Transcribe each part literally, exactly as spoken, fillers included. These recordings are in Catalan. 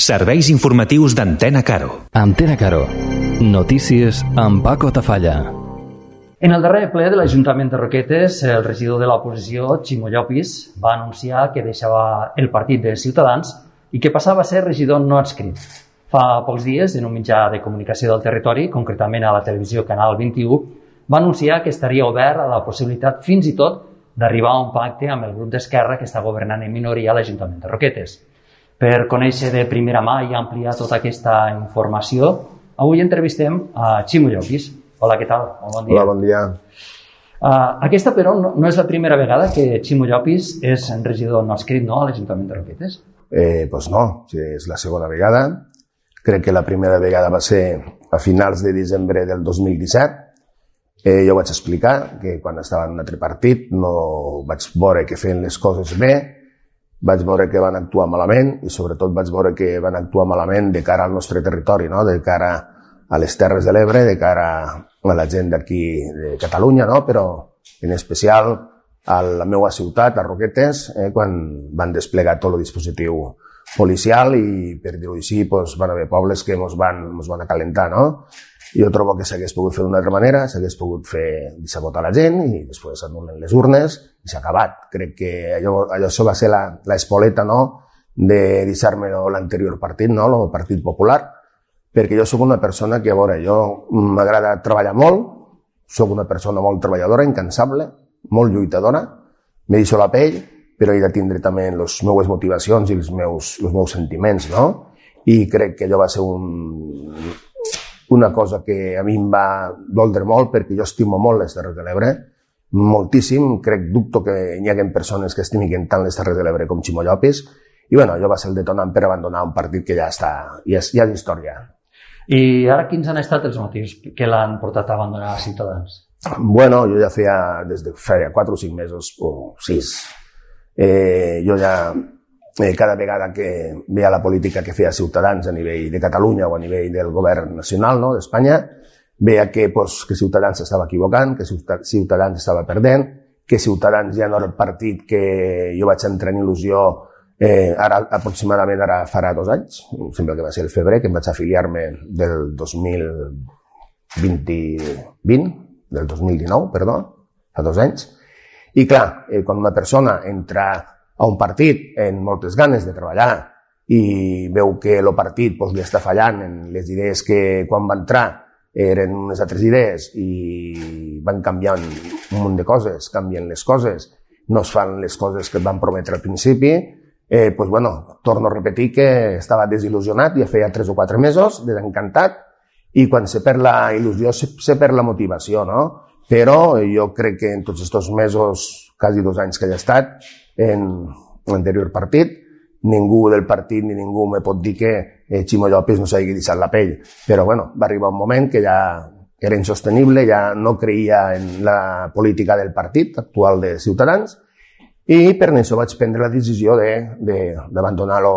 Serveis informatius d'Antena Caro. Antena Caro. Notícies amb Paco Tafalla. En el darrer ple de l'Ajuntament de Roquetes, el regidor de l'oposició, Ximo Llopis, va anunciar que deixava el partit de Ciutadans i que passava a ser regidor no adscrit. Fa pocs dies, en un mitjà de comunicació del territori, concretament a la televisió Canal vint-i-u, va anunciar que estaria obert a la possibilitat fins i tot d'arribar a un pacte amb el grup d'Esquerra que està governant en minoria a l'Ajuntament de Roquetes. Per conèixer de primera mà i ampliar tota aquesta informació, avui entrevistem a Ximo Llopis. Hola, què tal? Bon dia. Hola, bon dia. Uh, aquesta, però, no, no és la primera vegada que Ximo Llopis és regidor no adscrit, no?, a l'Ajuntament de Roquetes. Eh, doncs no, és la segona vegada. Crec que la primera vegada va ser a finals de desembre del dos mil disset. Eh, jo vaig explicar que quan estava en un altre partit no vaig veure que feien les coses bé, vaig veure que van actuar malament i sobretot vaig veure que van actuar malament de cara al nostre territori, no? De cara a les Terres de l'Ebre, de cara a la gent d'aquí de Catalunya, no? Però en especial a la meva ciutat, a Roquetes, eh, quan van desplegar tot el dispositiu policial i, per dir-ho així, doncs, van haver pobles que ens van, ens van acalentar, no? Jo trobo que s'hagués pogut fer d'una altra manera, s'hagués pogut fer deixar votar la gent i després anulen les urnes i s'ha acabat. Crec que allò, allò això va ser la, la espoleta, no?, de deixar-me l'anterior partit, no?, el Partit Popular, perquè jo sóc una persona que, a veure, jo m'agrada treballar molt, sóc una persona molt treballadora, incansable, molt lluitadora, me deixo la pell, però he de tindre també les meves motivacions i els meus, els meus sentiments, no? I crec que allò va ser un... una cosa que a mi em va doldre molt perquè jo estimo molt les Terres de l'Ebre, moltíssim, crec, dubto que hi hagi persones que estimin tant les Terres de l'Ebre com Ximo Llopis, i bueno, allò va ser el detonant per abandonar un partit que ja està, ja és, ja és història. I ara quins han estat els motius que l'han portat a abandonar Ciutadans? Bueno, jo ja feia, des de feia quatre o cinc mesos, o sis, eh, jo ja... Eh, cada vegada que veia la política que feia Ciutadans a nivell de Catalunya o a nivell del govern nacional, no?, d'Espanya, veia que, pues, que Ciutadans s'estava equivocant, que Ciutadans estava perdent, que Ciutadans ja no era el partit que jo vaig entrar en il·lusió eh, ara, aproximadament ara farà dos anys, sembla que va ser el febrer, que em vaig afiliar-me del dos mil vint, del dos mil dinou, perdó, fa dos anys. I clar, eh, quan una persona entra a un partit amb moltes ganes de treballar i veu que el partit doncs, li està fallant en les idees que quan va entrar eren unes altres idees i van canviant un munt de coses, canvien les coses, no es fan les coses que et van prometre al principi, eh, doncs, bueno, torno a repetir que estava desil·lusionat, ja feia tres o quatre mesos, desencantat, i quan se perd la il·lusió se, se perd la motivació, no? Però jo crec que en tots aquests mesos, quasi dos anys que he estat, en l'anterior partit, ningú del partit ni ningú me pot dir que eh, Ximo Llopis no s'hagi deixat la pell. Però bueno, va arribar un moment que ja era insostenible, ja no creia en la política del partit actual de Ciutadans i per això vaig prendre la decisió d'abandonar el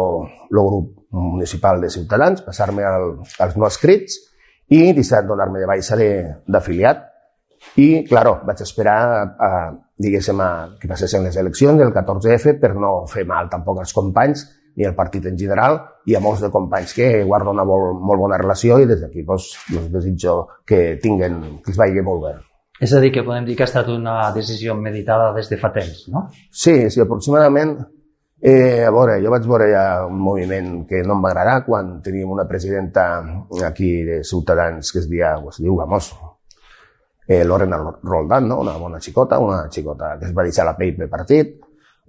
grup municipal de Ciutadans, passar-me al, als no adscrits i deixar de donar-me de baixa d'afiliat. I, claro, vaig esperar a, a, diguéssim, a que passessin les eleccions del catorze efe per no fer mal tampoc als companys ni al partit en general i a molts de companys que guardo una molt, molt bona relació i des d'aquí doncs, doncs desitjo que tinguen, que els vagi molt bé. És a dir, que podem dir que ha estat una decisió meditada des de fa temps, no? Sí, sí, aproximadament. Eh, a veure, jo vaig veure ja un moviment que no em va agradar quan teníem una presidenta aquí de Ciutadans que es, dia, es diu, vamos, Eh, Lorena Roldán, no? Una bona xicota, una xicota que es va deixar la pell pel partit,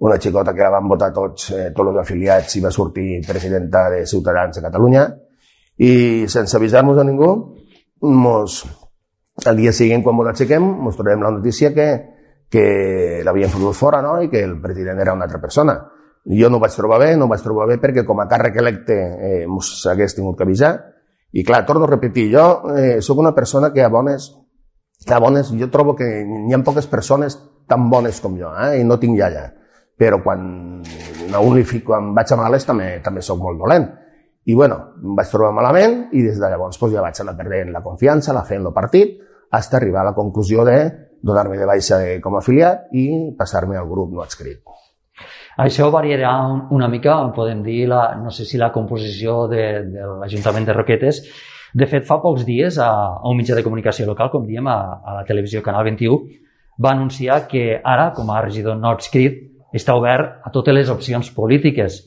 una xicota que la van votar tots, eh, tots els afiliats i va sortir presidenta de Ciutadans a Catalunya i sense avisar-nos a ningú, mos, al dia següent quan ens aixequem ens trobem la notícia que, que l'havien fotut fora, no? I que el president era una altra persona. Jo no ho vaig trobar bé, no ho vaig trobar bé perquè com a càrrec electe eh, mos hagués tingut que avisar i clar, torno a repetir, jo eh, sóc una persona que a bones A bones, jo trobo que hi ha poques persones tan bones com jo, eh? I no tinc iaia. Però quan a un li fico, quan vaig a males també, també soc molt dolent. I bueno, em vaig trobar malament i des de llavors pues, ja vaig anar perdent la confiança, la fe en el partit, fins a arribar a la conclusió de donar-me de baixa com a afiliat i passar-me al grup no adscrit. Això variarà una mica, podem dir, la, no sé si la composició de, de l'Ajuntament de Roquetes. De fet, fa pocs dies, a, a un mitjà de comunicació local, com diem, a, a la televisió Canal vint-i-u, va anunciar que ara, com a regidor no adscrit, està obert a totes les opcions polítiques,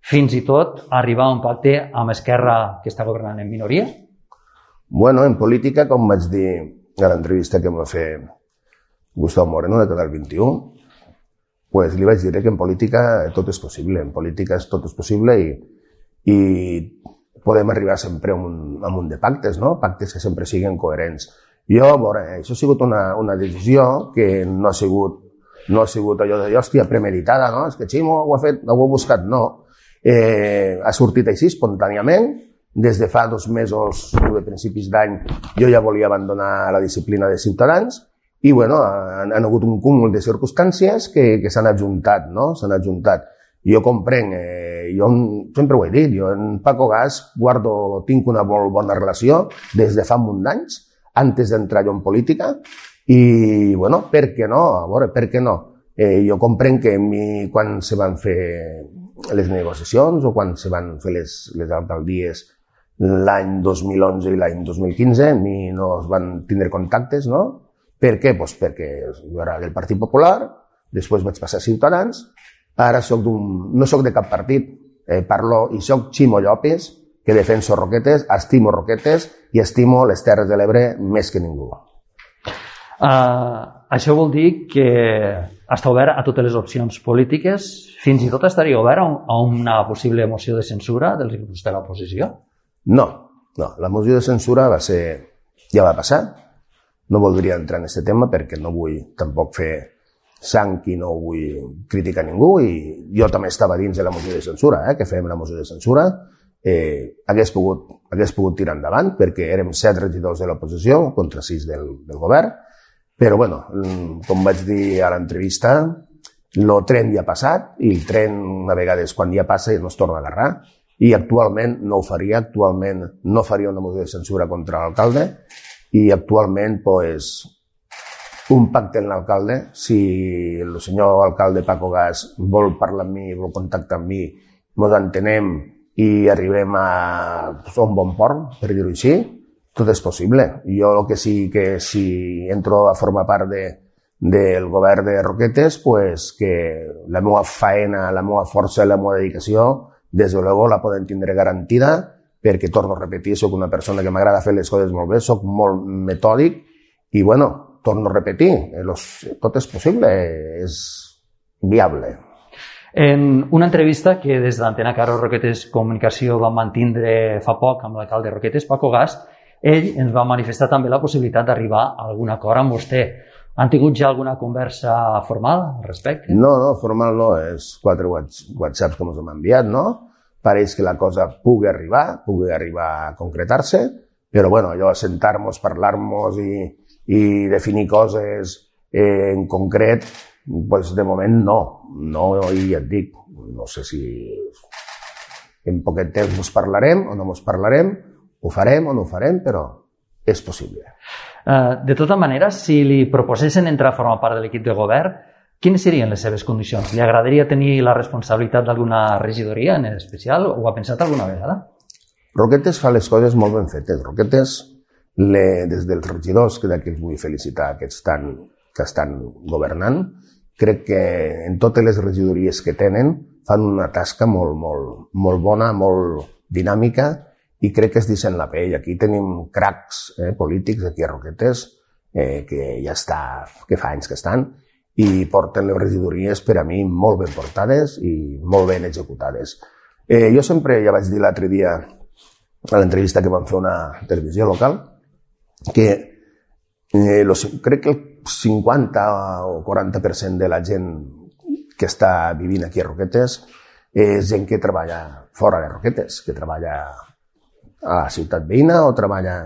fins i tot arribar a un pacte amb Esquerra, que està governant en minoria? Bueno, en política, com vaig dir a l'entrevista que em va fer Gustavo Moreno de Canal vint-i-u, pues li vaig dir que en política tot és possible, en política tot és possible i, i podem arribar sempre a un, a un de pactes, no? Pactes que sempre siguin coherents. Jo, veure, això ha sigut una, una decisió que no ha sigut, no ha sigut allò de, hòstia, premeditada, no? És que Ximo ho ha fet, ho ha buscat, no. Eh, ha sortit així, espontàniament. Des de fa dos mesos, a principis d'any, jo ja volia abandonar la disciplina de Ciutadans. I, bueno, han, han hagut un cúmul de circumstàncies que, que s'han adjuntat, no? S'han adjuntat. Jo comprenc, eh, jo sempre ho he dit, jo en Paco Gas guardo, tinc una molt bona relació des de fa un munt d'anys, antes d'entrar jo en política, i, bueno, per què no? A veure, per què no? Eh, jo comprenc que mi, quan se van fer les negociacions o quan se van fer les, les alcaldies l'any dos mil onze i l'any dos mil quinze, mi no es van tindre contactes, no? Per què? Pues perquè jo era del Partit Popular, després vaig passar a Ciutadans, ara soc d'un, no soc de cap partit, eh, parlo i soc Ximo Llopis, que defenso Roquetes, estimo Roquetes i estimo les Terres de l'Ebre més que ningú. Uh, això vol dir que està obert a totes les opcions polítiques, fins i tot estaria obert a una possible moció de censura dels grups de l'oposició? No, no, la moció de censura va ser, ja va passar. No voldria entrar en aquest tema perquè no vull tampoc fer sang i no vull criticar ningú i jo també estava dins de la moció de censura, eh, que fem la moció de censura. Eh, hagués, pogut, hagués pogut tirar endavant perquè érem set regidors de l'oposició contra sis del, del govern, però bueno, com vaig dir a l'entrevista, el tren ja ha passat i el tren una vegada és quan ja passa i no es torna a agarrar i actualment no ho faria, actualment no faria una moció de censura contra l'alcalde i actualment, pues, un pacte amb l'alcalde, si el senyor alcalde Paco Gas vol parlar amb mi, vol contactar amb mi, ens entenem i arribem a un bon port, per dir-ho així, tot és possible. Jo el que sí que si entro a formar part de, del govern de Roquetes, pues, que la meva faena, la meva força i la meva dedicació, des de luego la poden tindre garantida, perquè, torno a repetir, soc una persona que m'agrada fer les coses molt bé, soc molt metòdic i, bueno, torno a repetir, tot és possible, és viable. En una entrevista que des d'Antena Caro Roquetes Comunicació vam mantindre fa poc amb l'alcalde Roquetes, Paco Gas, ell ens va manifestar també la possibilitat d'arribar a algun acord amb vostè. Han tingut ja alguna conversa formal al respecte? No, no, formal no, és quatre whatsapps que ens hem enviat, no? Pareix que la cosa pugui arribar, pugui arribar a concretar-se, però bueno, allò, sentar-nos, parlar-nos i, i definir coses eh, en concret, pues de moment no, no, i ja et dic, no sé si en poquet temps ens parlarem o no ens parlarem, ho farem o no ho farem, però és possible. Uh, de tota manera, si li proposessin entrar a formar part de l'equip de govern, quines serien les seves condicions? Li agradaria tenir la responsabilitat d'alguna regidoria en especial? Ho ha pensat alguna vegada? Roquetes fa les coses molt ben fetes. Roquetes, le, des dels regidors, que d'aquí els vull felicitar, que estan, que estan governant, crec que en totes les regidories que tenen fan una tasca molt, molt, molt bona, molt dinàmica i crec que es deixen la pell. Aquí tenim cracs eh, polítics aquí a Roquetes eh, que ja està, que fa anys que estan, i porten les regidories per a mi molt ben portades i molt ben executades. Eh, jo sempre, ja vaig dir l'altre dia a l'entrevista que vam fer a una televisió local, que eh, los, crec que el cinquanta o quaranta per cent de la gent que està vivint aquí a Roquetes és gent que treballa fora de Roquetes, que treballa a la ciutat veïna o treballa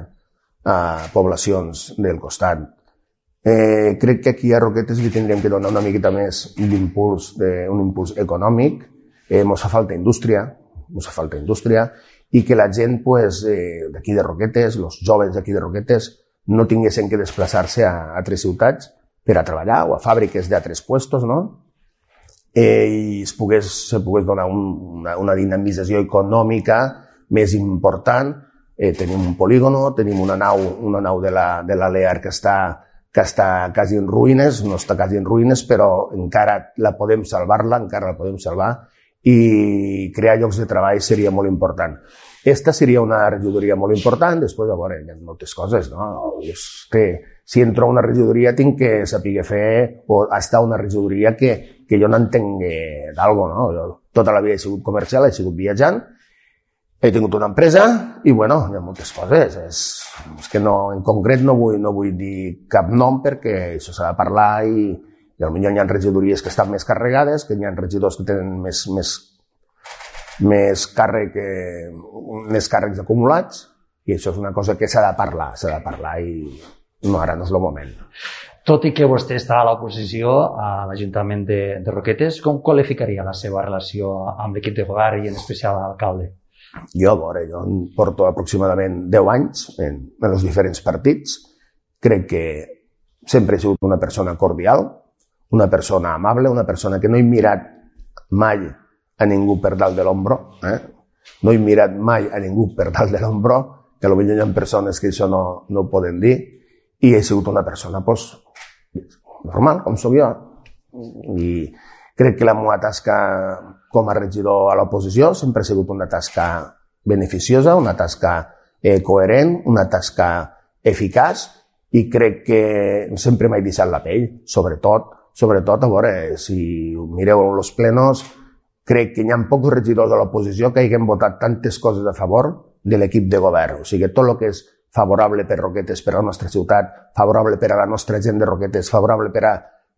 a poblacions del costat. Eh, crec que aquí a Roquetes li tindríem que donar una miqueta més d'impuls, un impuls econòmic. Eh, mos fa falta indústria, mos fa falta indústria, i que la gent pues, eh, d'aquí de Roquetes, els joves d'aquí de Roquetes, no tinguessin que desplaçar-se a altres ciutats per a treballar o a fàbriques d'altres puestos, no? eh, i es pogués, se pogués donar un, una, una dinamització econòmica més important. Eh, tenim un polígono, tenim una nau, una nau de la, de la Lear que està, que està quasi en ruïnes, no està quasi en ruïnes, però encara la podem salvar-la, encara la podem salvar, i crear llocs de treball seria molt important. Esta seria una regidoria molt important. Després, a veure, hi ha moltes coses, no? És que si entro a una regidoria tinc que saber fer o estar a una regidoria que, que jo no entenc d'algo, no? Jo tota la vida he sigut comercial, he sigut viatjant, he tingut una empresa i, bueno, hi ha moltes coses. És, és que no, en concret no vull, no vull dir cap nom perquè això s'ha de parlar i I potser hi ha regidories que estan més carregades, que hi ha regidors que tenen més, més, més, càrrec, més càrrecs acumulats, i això és una cosa que s'ha de parlar, s'ha de parlar i no, ara no és el moment. Tot i que vostè està a l'oposició a l'Ajuntament de, de Roquetes, com qualificaria la seva relació amb l'equip de govern i en especial l'alcalde? Jo, a veure, jo porto aproximadament deu anys en, en els diferents partits. Crec que sempre he sigut una persona cordial, una persona amable, una persona que no he mirat mai a ningú per dalt de l'ombro, eh? No he mirat mai a ningú per dalt de l'ombro, que potser hi ha persones que això no, no ho poden dir, i he sigut una persona pues, normal, com soc jo. I crec que la meva tasca com a regidor a l'oposició sempre ha sigut una tasca beneficiosa, una tasca eh, coherent, una tasca eficaç, i crec que sempre m'he deixat la pell, sobretot Sobretot, a veure, si mireu els plenos, crec que hi ha pocs regidors de l'oposició que hagin votat tantes coses a favor de l'equip de govern. O sigui, tot el que és favorable per Roquetes, per a la nostra ciutat, favorable per a la nostra gent de Roquetes, favorable per a,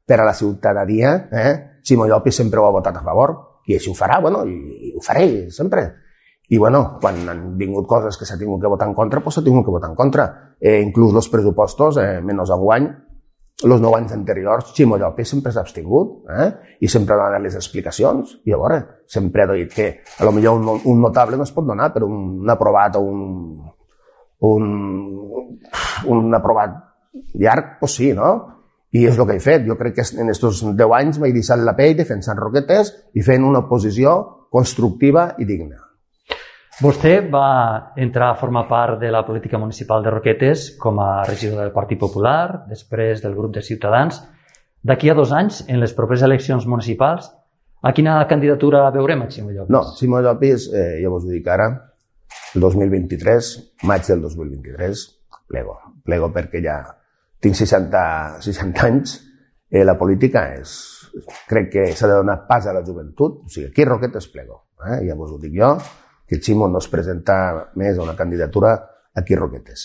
per a la ciutadania, eh? Ximo Llopis sempre ho ha votat a favor, i així ho farà, bueno, i, i ho faré sempre. I, bueno, quan han vingut coses que s'ha tingut que votar en contra, doncs s'ha tingut que votar en contra. Eh, inclús els pressupostos, eh, menys enguany, els nou anys anteriors, Ximo Llopis sempre s'ha abstingut, eh? I sempre ha donat les explicacions. I a veure, sempre ha dit que a lo millor un, un notable no es pot donar, però un, un aprovat o un, un, un aprovat llarg, doncs sí, no? I és el que he fet. Jo crec que en aquests deu anys m'he deixat la pell defensant Roquetes i fent una oposició constructiva i digna. Vostè va entrar a formar part de la política municipal de Roquetes com a regidor del Partit Popular, després del grup de Ciutadans. D'aquí a dos anys, en les properes eleccions municipals, a quina candidatura veurem a Ximo Llopis? No, Ximo Llopis, eh, ja vos ho dic ara, el dos mil vint-i-tres, maig del dos mil vint-i-tres, plego. Plego perquè ja tinc seixanta, seixanta anys. Eh, la política és... Crec que s'ha de donar pas a la joventut. O sigui, aquí a Roquetes plego. Eh? Ja vos ho dic jo, que el Ximo no es presenta més a una candidatura aquí a Roquetes.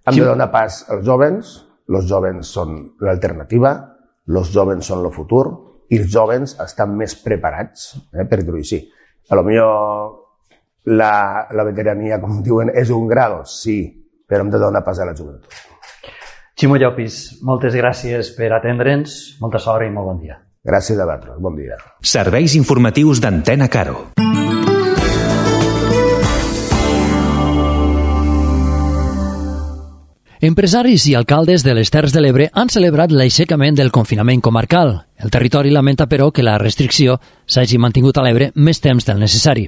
Hem de donar pas als jovens, els jovens són l'alternativa, els jovens són el futur, i els jovens estan més preparats, eh, per dir-ho així. A lo millor la, la veterania, com diuen, és un grado, sí, però hem de donar pas a la joventut. Ximo Llopis, moltes gràcies per atendre'ns, molta sort i molt bon dia. Gràcies a vosaltres, bon dia. Serveis informatius d'Antena Caro. Empresaris i alcaldes de les Terres de l'Ebre han celebrat l'aixecament del confinament comarcal. El territori lamenta, però, que la restricció s'hagi mantingut a l'Ebre més temps del necessari.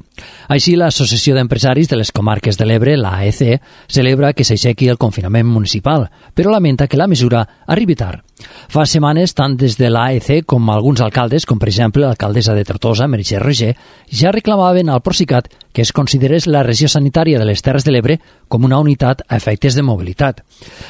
Així, l'Associació d'Empresaris de les Comarques de l'Ebre, la A E C, celebra que s'aixequi el confinament municipal, però lamenta que la mesura arribi tard. Fa setmanes, tant des de l'A E C com alguns alcaldes, com per exemple l'alcaldessa de Tortosa, Meritxell Roger, ja reclamaven al Procicat que es considerés la regió sanitària de les Terres de l'Ebre com una unitat a efectes de mobilitat.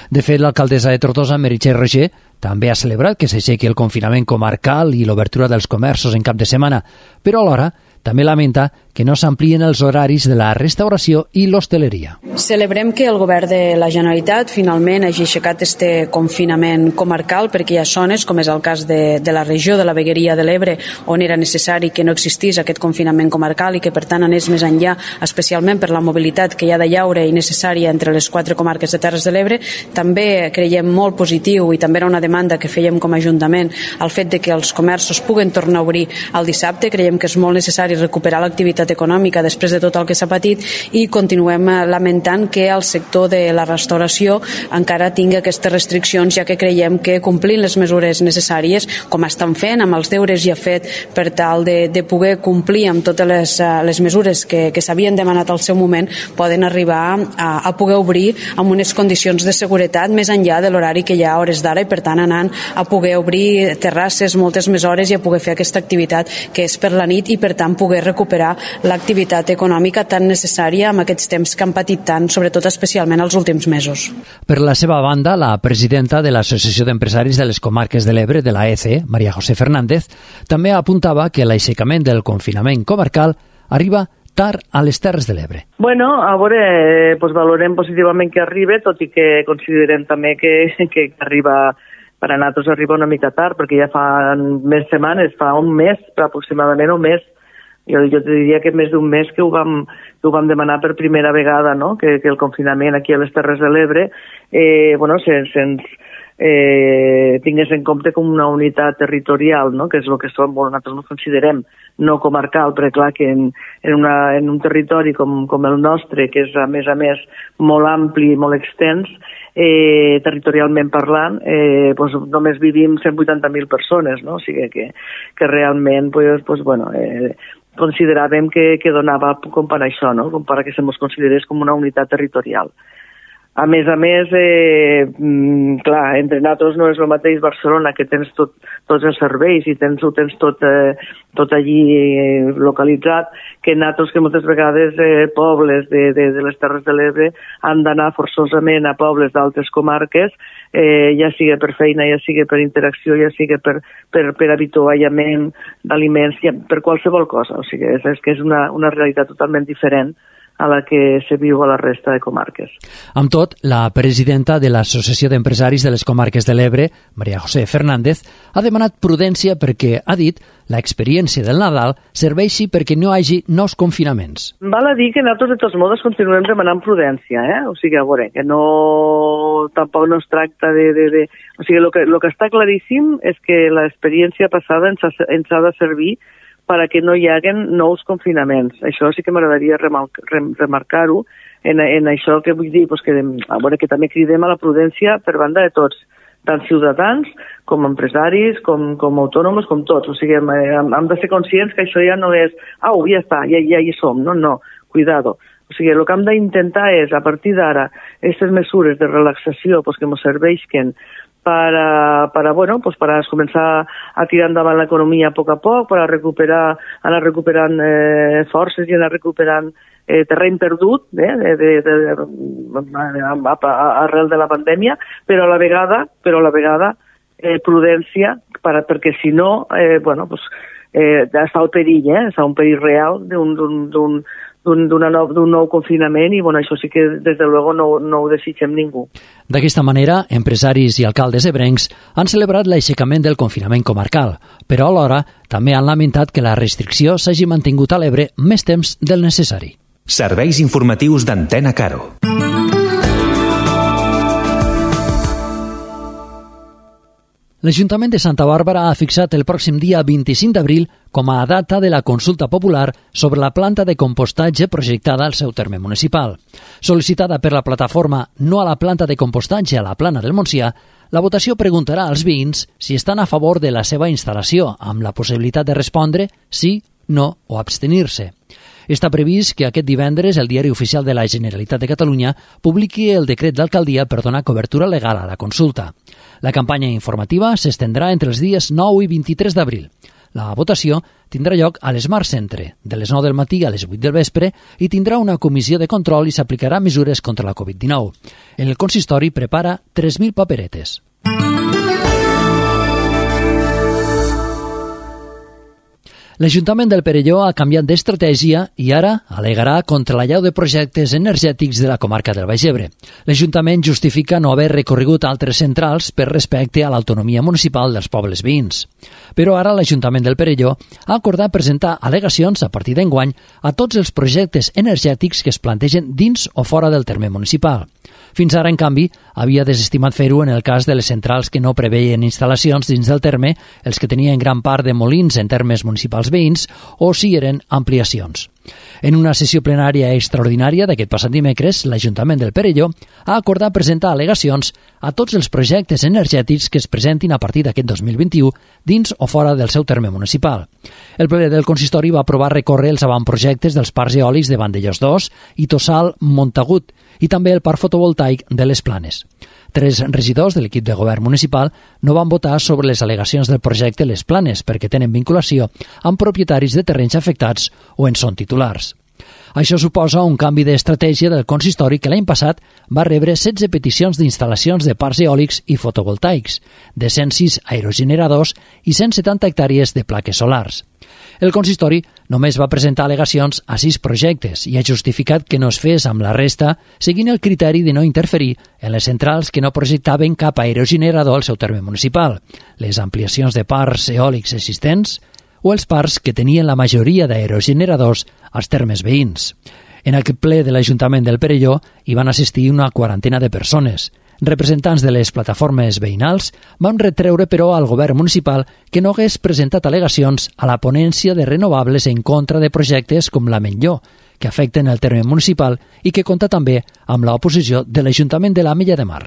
De fet, l'alcaldessa de Tortosa, Meritxell Roger, també ha celebrat que s'aixequi el confinament comarcal i l'obertura dels comerços en cap de setmana, però alhora també lamenta que no s'amplien els horaris de la restauració i l'hostaleria. Celebrem que el govern de la Generalitat finalment hagi aixecat este confinament comarcal, perquè hi ha zones, com és el cas de, de la regió de la Vegueria de l'Ebre, on era necessari que no existís aquest confinament comarcal i que per tant anés més enllà, especialment per la mobilitat que hi ha de llaure i necessària entre les quatre comarques de Terres de l'Ebre. També creiem molt positiu, i també era una demanda que fèiem com a Ajuntament, el fet de que els comerços puguen tornar a obrir el dissabte. Creiem que és molt necessari recuperar l'activitat l'activitat econòmica després de tot el que s'ha patit i continuem lamentant que el sector de la restauració encara tingui aquestes restriccions, ja que creiem que complint les mesures necessàries, com estan fent amb els deures ja fet per tal de, de poder complir amb totes les, les mesures que, que s'havien demanat al seu moment, poden arribar a, a poder obrir amb unes condicions de seguretat més enllà de l'horari que hi ha a hores d'ara i per tant anant a poder obrir terrasses moltes més hores i a poder fer aquesta activitat que és per la nit i per tant poder recuperar l'activitat econòmica tan necessària amb aquests temps que han patit tant, sobretot especialment els últims mesos. Per la seva banda, la presidenta de l'Associació d'Empresaris de les Comarques de l'Ebre, de la A E C E, María José Fernández, també apuntava que l'aixecament del confinament comarcal arriba tard a les Terres de l'Ebre. Bueno, a veure, pues valorem positivament que arribi, tot i que considerem també que, que arriba, per a nosaltres arriba una mica tard, perquè ja fa més setmanes, fa un mes, aproximadament un mes. Jo, jo te diria que més d'un mes que ho vam, que ho vam demanar per primera vegada, no? que, que el confinament aquí a les Terres de l'Ebre eh, bueno, se'ns se, eh, tingués en compte com una unitat territorial, no? que és el que som, bueno, nosaltres no considerem no comarcal, però clar que en, en, una, en un territori com, com el nostre, que és a més a més molt ampli i molt extens, eh, territorialment parlant, eh, pues, només vivim cent vuitanta mil persones, no? O sigui que, que realment pues, pues, bueno, eh, consideràvem que, que donava com per això, no? Com per que se mos considerés com una unitat territorial. A més a més, eh, clar, entre nosaltres no és el mateix Barcelona, que tens tot, tots els serveis i tens, ho tens tot, eh, tot allí eh, localitzat, que nosaltres que moltes vegades eh, pobles de, de, de les Terres de l'Ebre han d'anar forçosament a pobles d'altres comarques, eh, ja sigui per feina, ja sigui per interacció, ja sigui per, per, per avituallament d'aliments, ja, per qualsevol cosa. O sigui, és, és que és una, una realitat totalment diferent a la que se viu a la resta de comarques. Amb tot, la presidenta de l'Associació d'Empresaris de les Comarques de l'Ebre, María José Fernández, ha demanat prudència perquè, ha dit, l'experiència del Nadal serveixi perquè no hi hagi nous confinaments. Val a dir que nosaltres de tots modos continuem demanant prudència, eh? O sigui, a veure, que no... tampoc no es tracta de... de, de... O sigui, el que, lo que està claríssim és que l'experiència passada ens ha, ens ha de servir perquè no hi haguen nous confinaments. Això sí que m'agradaria remarcar-ho en, en això que vull dir, pues que, a veure, que també cridem a la prudència per banda de tots, tant ciutadans com empresaris, com, com autònoms, com tots. O sigui, hem, hem de ser conscients que això ja no és, au, ja està, ja, ja hi som. No, no, cuidado. O sigui, el que hem d'intentar és, a partir d'ara, aquestes mesures de relaxació pues, que ens serveixen para, para, bueno, pues para començar a tirar endavant l'economia a poc a poc, per a recuperar, anar recuperant eh, forces i anar recuperant eh, terreny perdut eh, de, de, de, de, arrel de la pandèmia, però a la vegada, però a la vegada eh, prudència, per, perquè si no, eh, bueno, pues, eh, està el perill, eh, està un perill real d'un, d'un, d'un d'un nou, nou confinament i bueno, això sí que des de luego no, no ho desitgem ningú. D'aquesta manera, empresaris i alcaldes ebrencs han celebrat l'aixecament del confinament comarcal, però alhora també han lamentat que la restricció s'hagi mantingut a l'Ebre més temps del necessari. Serveis informatius d'Antena Caro. L'Ajuntament de Santa Bàrbara ha fixat el pròxim dia vint-i-cinc d'abril com a data de la consulta popular sobre la planta de compostatge projectada al seu terme municipal. Sol·licitada per la plataforma No a la planta de compostatge a la Plana del Montsià, la votació preguntarà als veïns si estan a favor de la seva instal·lació, amb la possibilitat de respondre sí, no o abstenir-se. Està previst que aquest divendres el Diari Oficial de la Generalitat de Catalunya publiqui el decret d'alcaldia per donar cobertura legal a la consulta. La campanya informativa s'estendrà entre els dies nou i vint-i-tres d'abril. La votació tindrà lloc a l'Smart Centre, de les nou del matí a les vuit del vespre, i tindrà una comissió de control i s'aplicarà mesures contra la covid dinou. El consistori prepara tres mil paperetes. L'Ajuntament del Perelló ha canviat d'estratègia i ara al·legarà contra l'allau de projectes energètics de la comarca del Baix Ebre. L'Ajuntament justifica no haver recorregut altres centrals per respecte a l'autonomia municipal dels pobles veïns. Però ara l'Ajuntament del Perelló ha acordat presentar al·legacions a partir d'enguany a tots els projectes energètics que es plantegen dins o fora del terme municipal. Fins ara, en canvi, havia desestimat fer-ho en el cas de les centrals que no preveien instal·lacions dins del terme, els que tenien gran part de molins en termes municipals veïns, o si eren ampliacions. En una sessió plenària extraordinària d'aquest passat dimecres, l'Ajuntament del Perelló ha acordat presentar al·legacions a tots els projectes energètics que es presentin a partir d'aquest dos mil vint-i-u dins o fora del seu terme municipal. El ple del consistori va aprovar recórrer els avantprojectes dels parcs eòlics de Vandellós dos i Tossal Montagut i també el parc fotovoltaic de les Planes. Tres regidors de l'equip de govern municipal no van votar sobre les al·legacions del projecte Les Planes perquè tenen vinculació amb propietaris de terrenys afectats o en són titulars. Això suposa un canvi d'estratègia del consistori que l'any passat va rebre setze peticions d'instal·lacions de parcs eòlics i fotovoltaics, de cent sis aerogeneradors i cent setanta hectàrees de plaques solars. El consistori només va presentar al·legacions a sis projectes i ha justificat que no es fes amb la resta seguint el criteri de no interferir en les centrals que no projectaven cap aerogenerador al seu terme municipal, les ampliacions de parcs eòlics existents o els parcs que tenien la majoria d'aerogeneradors als termes veïns. En aquest ple de l'Ajuntament del Perelló hi van assistir una quarantena de persones. Representants de les plataformes veïnals van retreure, però, al govern municipal que no hagués presentat al·legacions a la ponència de renovables en contra de projectes com la Menlló, que afecten el terme municipal i que compta també amb l'oposició de l'Ajuntament de l'Ametlla de Mar.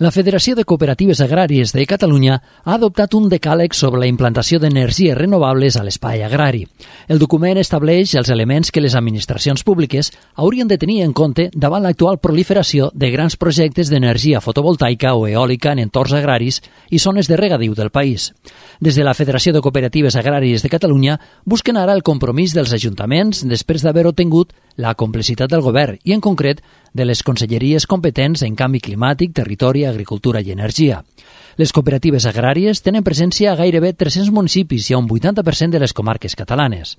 La Federació de Cooperatives Agràries de Catalunya ha adoptat un decàleg sobre la implantació d'energies renovables a l'espai agrari. El document estableix els elements que les administracions públiques haurien de tenir en compte davant l'actual proliferació de grans projectes d'energia fotovoltaica o eòlica en entorns agraris i zones de regadiu del país. Des de la Federació de Cooperatives Agràries de Catalunya busquen ara el compromís dels ajuntaments després d'haver obtingut la complicitat del govern i, en concret, de les conselleries competents en canvi climàtic, territori, agricultura i energia. Les cooperatives agràries tenen presència a gairebé tres-cents municipis i a un vuitanta per cent de les comarques catalanes.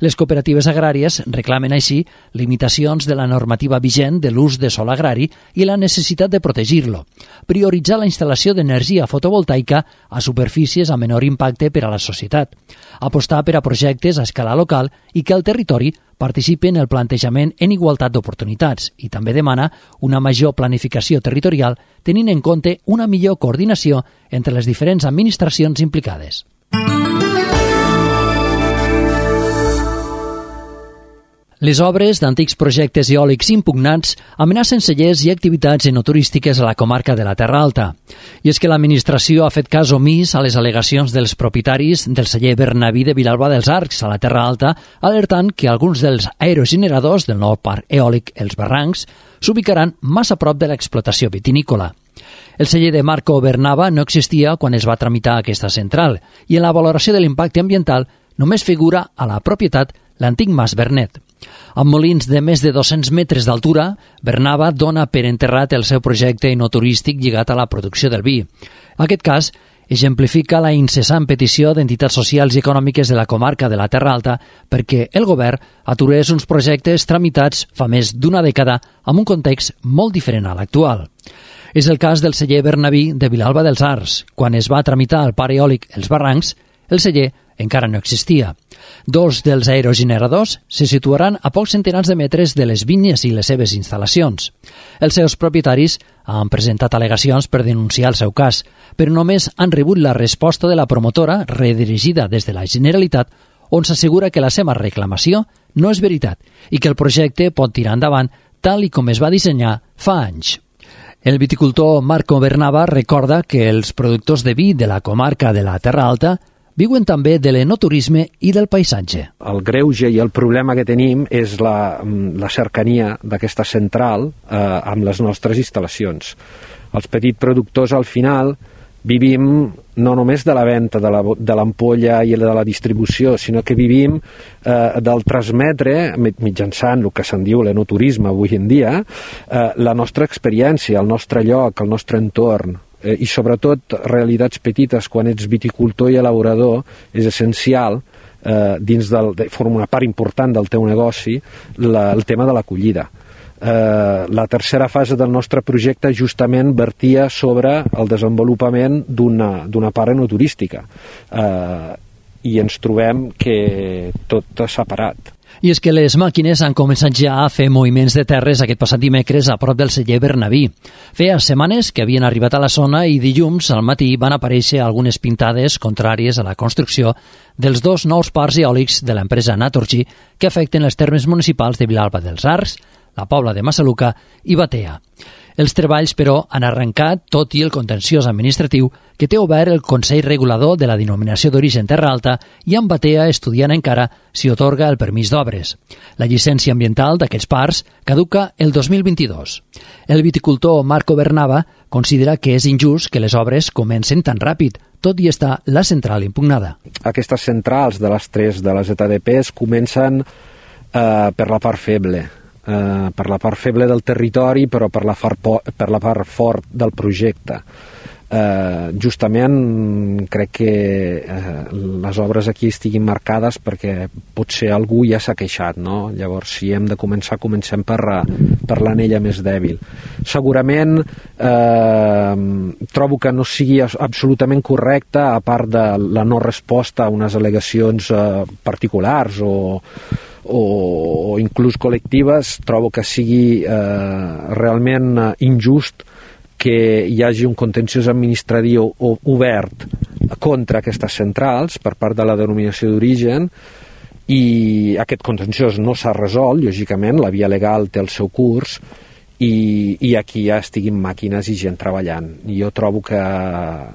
Les cooperatives agràries reclamen així limitacions de la normativa vigent de l'ús de sòl agrari i la necessitat de protegir-lo, prioritzar la instal·lació d'energia fotovoltaica a superfícies a menor impacte per a la societat, apostar per a projectes a escala local i que el territori participi en el plantejament en igualtat d'oportunitats i també demana una major planificació territorial tenint en compte una millor coordinació entre les diferents administracions implicades. Les obres d'antics projectes eòlics impugnats amenacen cellers i activitats enoturístiques a la comarca de la Terra Alta. I és que l'administració ha fet cas omís a les al·legacions dels propietaris del celler Bernaví de Vilalba dels Arcs a la Terra Alta, alertant que alguns dels aerogeneradors del nou parc eòlic Els Barrancs s'ubicaran massa a prop de l'explotació vitinícola. El celler de Marco Bernava no existia quan es va tramitar aquesta central i en la valoració de l'impacte ambiental només figura a la propietat l'antic Mas Bernet. Amb molins de més de dos-cents metres d'altura, Bernava dona per enterrat el seu projecte enoturístic lligat a la producció del vi. Aquest cas exemplifica la incessant petició d'entitats socials i econòmiques de la comarca de la Terra Alta perquè el govern aturés uns projectes tramitats fa més d'una dècada amb un context molt diferent a l'actual. És el cas del celler Bernaví de Vilalba dels Arcs. Quan es va tramitar el parc eòlic Els Barrancs, el celler encara no existia. Dos dels aerogeneradors se situaran a pocs centenars de metres de les vinyes i les seves instal·lacions. Els seus propietaris han presentat al·legacions per denunciar el seu cas, però només han rebut la resposta de la promotora redirigida des de la Generalitat, on s'assegura que la seva reclamació no és veritat i que el projecte pot tirar endavant tal i com es va dissenyar fa anys. El viticultor Marco Bernava recorda que els productors de vi de la comarca de la Terra Alta viuen també de l'enoturisme i del paisatge. El greuge i el problema que tenim és la, la cercania d'aquesta central eh, amb les nostres instal·lacions. Els petits productors al final vivim no només de la venda de l'ampolla i de la distribució, sinó que vivim eh, del transmetre, mitjançant el que se'n diu l'enoturisme avui en dia, eh, la nostra experiència, el nostre lloc, el nostre entorn, eh, i sobretot realitats petites. Quan ets viticultor i elaborador és essencial, eh, dins del, de, forma una part important del teu negoci, la, el tema de l'acollida. Eh, la tercera fase del nostre projecte justament vertia sobre el desenvolupament d'una d'una part enoturística, eh, i ens trobem que tot s'ha parat. I és que les màquines han començat ja a fer moviments de terres aquest passat dimecres a prop del celler Bernaví. Feia setmanes que havien arribat a la zona i dilluns al matí van aparèixer algunes pintades contràries a la construcció dels dos nous parcs eòlics de l'empresa Naturgy que afecten els termes municipals de Vilalba dels Arcs, la Pobla de Massaluca i Batea. Els treballs, però, han arrencat tot i el contenciós administratiu que té obert el Consell Regulador de la Denominació d'Origen Terra Alta i en Batea estudiant encara si otorga el permís d'obres. La llicència ambiental d'aquests parcs caduca el dos mil vint-i-dos. El viticultor Marco Bernava considera que és injust que les obres comencen tan ràpid, tot i estar la central impugnada. Aquestes centrals de les tres de les E T D Ps comencen eh, per la part feble. Uh, per la part feble del territori, però per la, far per la part fort del projecte. Uh, justament crec que uh, les obres aquí estiguin marcades perquè potser algú ja s'ha queixat, no? Llavors, si hem de començar, comencem per, per l'anella més dèbil. Segurament uh, trobo que no sigui absolutament correcta, a part de la no resposta a unes al·legacions uh, particulars o o inclús col·lectives, trobo que sigui eh, realment injust que hi hagi un contenciós administratiu obert contra aquestes centrals per part de la denominació d'origen i aquest contenciós no s'ha resolt, lògicament, la via legal té el seu curs i, i aquí ja estiguin màquines i gent treballant. Jo trobo que,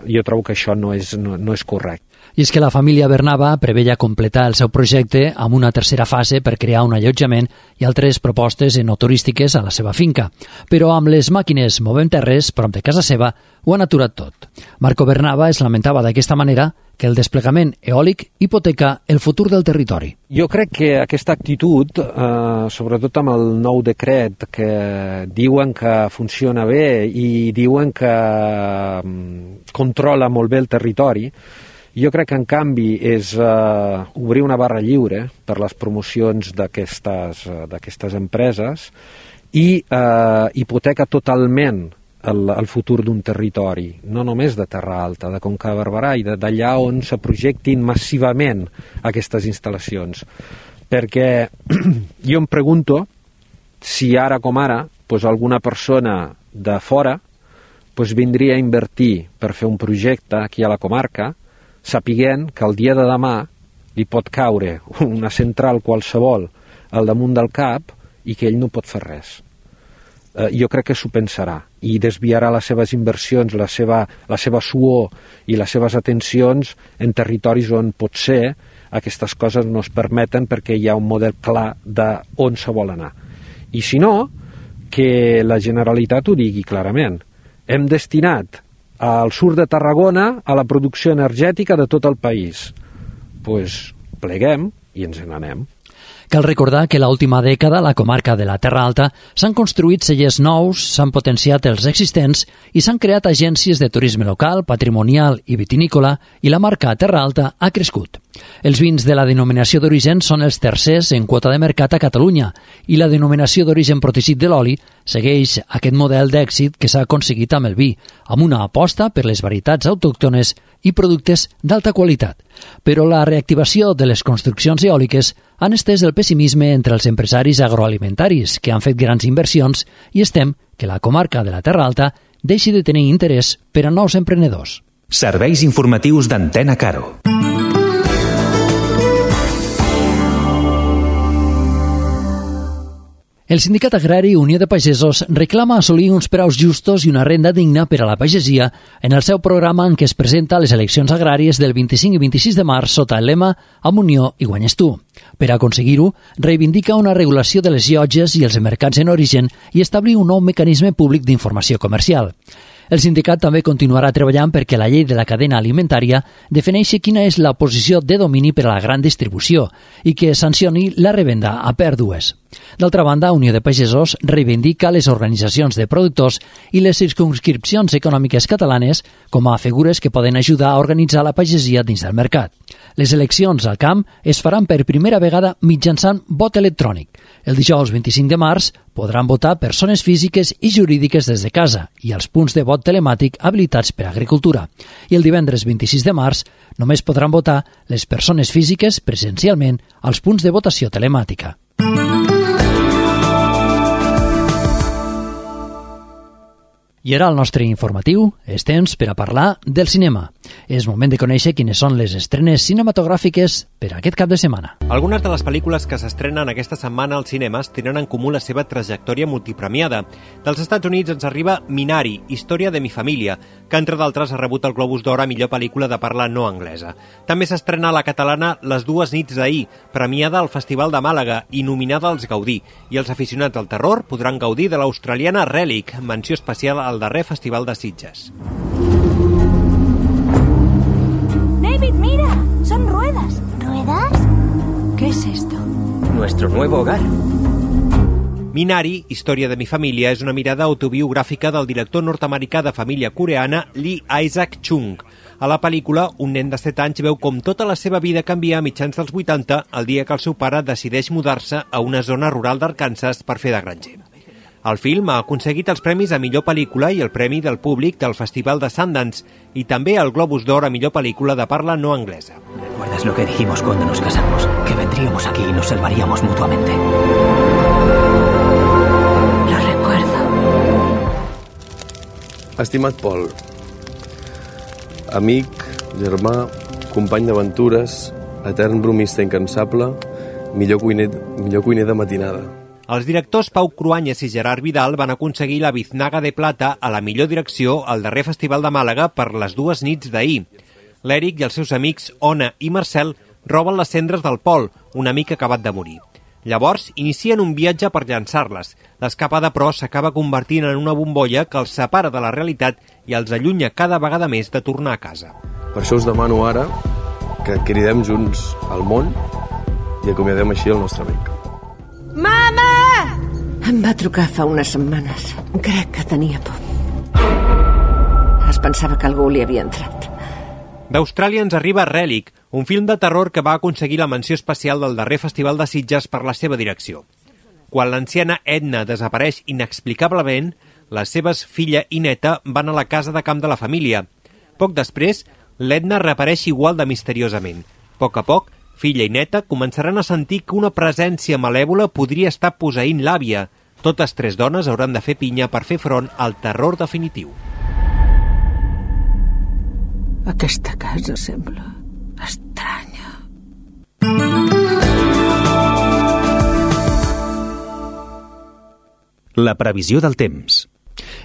jo trobo que això no és, no, no és correcte. I és que la família Bernava preveia completar el seu projecte amb una tercera fase per crear un allotjament i altres propostes enoturístiques a la seva finca. Però amb les màquines movent terres prop de casa seva ho han aturat tot. Marco Bernava es lamentava d'aquesta manera que el desplegament eòlic hipoteca el futur del territori. Jo crec que aquesta actitud, eh, sobretot amb el nou decret que diuen que funciona bé i diuen que eh, controla molt bé el territori, jo crec que, en canvi, és uh, obrir una barra lliure per les promocions d'aquestes uh, d'aquestes empreses i uh, hipoteca totalment el, el futur d'un territori, no només de Terra Alta, de Conca de Barberà i d'allà on se projectin massivament aquestes instal·lacions. Perquè jo em pregunto si ara com ara pues, alguna persona de fora pues, vindria a invertir per fer un projecte aquí a la comarca sapiguent que el dia de demà li pot caure una central qualsevol al damunt del cap i que ell no pot fer res. Eh, jo crec que s'ho pensarà i desviarà les seves inversions, la seva, la seva suor i les seves atencions en territoris on potser aquestes coses no es permeten perquè hi ha un model clar d'on se vol anar. I si no, que la Generalitat ho digui clarament. Hem destinat al sud de Tarragona a la producció energètica de tot el país. Doncs pues, pleguem i ens n'anem. Cal recordar que l'última dècada a la comarca de la Terra Alta s'han construït cellers nous, s'han potenciat els existents i s'han creat agències de turisme local, patrimonial i vitinícola i la marca Terra Alta ha crescut. Els vins de la denominació d'origen són els tercers en quota de mercat a Catalunya i la denominació d'origen protegit de l'oli segueix aquest model d'èxit que s'ha aconseguit amb el vi, amb una aposta per les varietats autòctones i productes d'alta qualitat. Però la reactivació de les construccions eòliques han estès el pessimisme entre els empresaris agroalimentaris que han fet grans inversions i estem que la comarca de la Terra Alta deixi de tenir interès per a nous emprenedors. Serveis informatius d'Antena Caro. El Sindicat Agrari Unió de Pagesos reclama assolir uns preus justos i una renda digna per a la pagesia en el seu programa en què es presenta a les eleccions agràries del vint-i-cinc i vint-i-sis de març sota el lema Amb Unió i guanyes tu. Per aconseguir-ho, reivindica una regulació de les llotges i els mercats en origen i establir un nou mecanisme públic d'informació comercial. El sindicat també continuarà treballant perquè la llei de la cadena alimentària defineixi quina és la posició de domini per a la gran distribució i que sancioni la revenda a pèrdues. D'altra banda, Unió de Pagesos reivindica les organitzacions de productors i les circumscripcions econòmiques catalanes com a figures que poden ajudar a organitzar la pagesia dins del mercat. Les eleccions al camp es faran per primera vegada mitjançant vot electrònic. El dijous vint-i-cinc de març podran votar persones físiques i jurídiques des de casa i els punts de vot telemàtic habilitats per a agricultura. I el divendres vint-i-sis de març Només podran votar les persones físiques presencialment als punts de votació telemàtica. I ara el nostre informatiu és temps per a parlar del cinema. És moment de conèixer quines són les estrenes cinematogràfiques per a aquest cap de setmana. Algunes de les pel·lícules que s'estrenen aquesta setmana als cinemes tenen en comú la seva trajectòria multipremiada. Dels Estats Units ens arriba Minari, història de mi família, que entre d'altres ha rebut el Globus d'Or a millor pel·lícula de parla no anglesa. També s'estrena la catalana Les dues nits d'ahir, premiada al Festival de Màlaga i nominada als Gaudí. I els aficionats al terror podran gaudir de l'australiana Relic, menció especial al darrer Festival de Sitges. David, mira, son ruedas. ¿Ruedas? ¿Qué es esto? Nuestro nuevo hogar. Minari, història de mi família, és una mirada autobiogràfica del director nord-americà de família coreana Lee Isaac Chung. A la pel·lícula, un nen de set anys veu com tota la seva vida canvia a mitjans dels vuitanta el dia que el seu pare decideix mudar-se a una zona rural d'Arkansas per fer de granger. El film ha aconseguit els premis a millor pel·lícula i el premi del públic del Festival de Sundance i també el Globus d'Or a millor pel·lícula de parla no anglesa. ¿Recuerdas lo que dijimos cuando nos casamos? Que vendríamos aquí y nos salvaríamos mutuamente. Lo recuerdo. Estimat Pol, amic, germà, company d'aventures, etern bromista incansable, millor cuiner, millor cuiner de matinada. Els directors Pau Cruanyes i Gerard Vidal van aconseguir la Biznaga de Plata a la millor direcció al darrer Festival de Màlaga per Les dues nits d'ahir. L'Èric i els seus amics Ona i Marcel roben les cendres del Pol, un amic acabat de morir. Llavors, inicien un viatge per llançar-les. L'escapada, però, s'acaba convertint en una bombolla que els separa de la realitat i els allunya cada vegada més de tornar a casa. Per això us demano ara que cridem junts al món i acomiadem així el nostre amic. Mama! Em va trucar fa unes setmanes. Crec que tenia por. Es pensava que algú li havia entrat. D'Austràlia ens arriba Relic, un film de terror que va aconseguir la menció especial del darrer Festival de Sitges per la seva direcció. Quan l'anciana Edna desapareix inexplicablement, les seves filla i neta van a la casa de camp de la família. Poc després, l'Edna reapareix igual de misteriosament. A poc a poc, filla i neta començaran a sentir que una presència malèvola podria estar posseint l'àvia. Totes tres dones hauran de fer pinya per fer front al terror definitiu. Aquesta casa sembla estranya. La previsió del temps.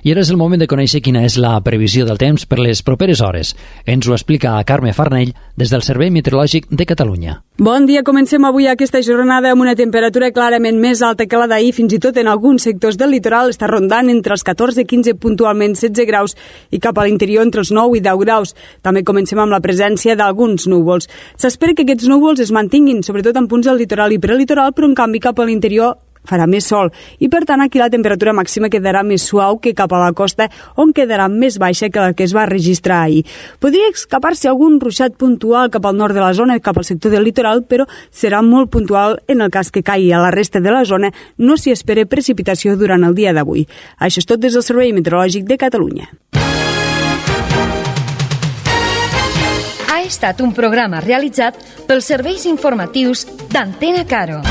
I ara és el moment de conèixer quina és la previsió del temps per les properes hores. Ens ho explica Carme Farnell des del Servei Meteorològic de Catalunya. Bon dia, comencem avui aquesta jornada amb una temperatura clarament més alta que la d'ahir, fins i tot en alguns sectors del litoral està rondant entre els catorze i quinze, puntualment setze graus, i cap a l'interior entre els nou i deu graus. També comencem amb la presència d'alguns núvols. S'espera que aquests núvols es mantinguin, sobretot en punts del litoral i prelitoral, però en canvi cap a l'interior farà més sol i, per tant, aquí la temperatura màxima quedarà més suau que cap a la costa, on quedarà més baixa que la que es va registrar ahir. Podria escapar-se algun ruixat puntual cap al nord de la zona, cap al sector del litoral, però serà molt puntual en el cas que caigui a la resta de la zona. No s'hi espera precipitació durant el dia d'avui. Això és tot des del Servei Meteorològic de Catalunya. Ha estat un programa realitzat pels serveis informatius d'Antena Caro.